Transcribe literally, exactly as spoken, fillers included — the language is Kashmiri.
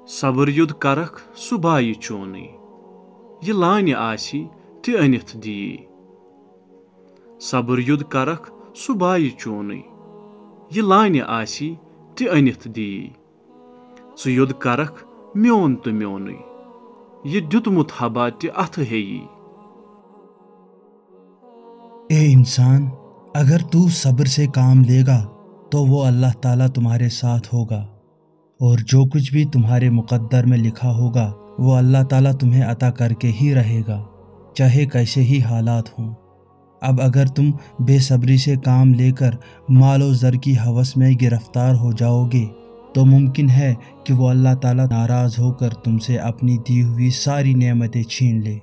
صبر یوٚد کرکھ سُہ بایہِ چونُے، یہِ لانہِ آسی تہِ أنِتھ دیی۔ صبر یوٚد کرکھ سُہ بایہِ چونُے، یہِ لانہِ آسی تہِ أنِتھ دیی۔ ژٕ یوٚد کرکھ میون تہٕ میونُے، یہِ دیُتمُت ہبا تہِ اَتھٕ ہیٚیی۔ اے انسان، اگر تو صبر سے کام لے گا تو وہ اللہ تعالیٰ تمہارے ساتھ ہوگا، اور جو کچھ بھی تمہارے مقدر میں لکھا ہوگا وہ اللہ تعالیٰ تمہیں عطا کر کے ہی رہے گا، چاہے کیسے ہی حالات ہوں۔ اب اگر تم بے صبری سے کام لے کر مال و زر کی ہوس میں گرفتار ہو جاؤ گے تو ممکن ہے کہ وہ اللہ تعالیٰ ناراض ہو کر تم سے اپنی دی ہوئی ساری نعمتیں چھین لے۔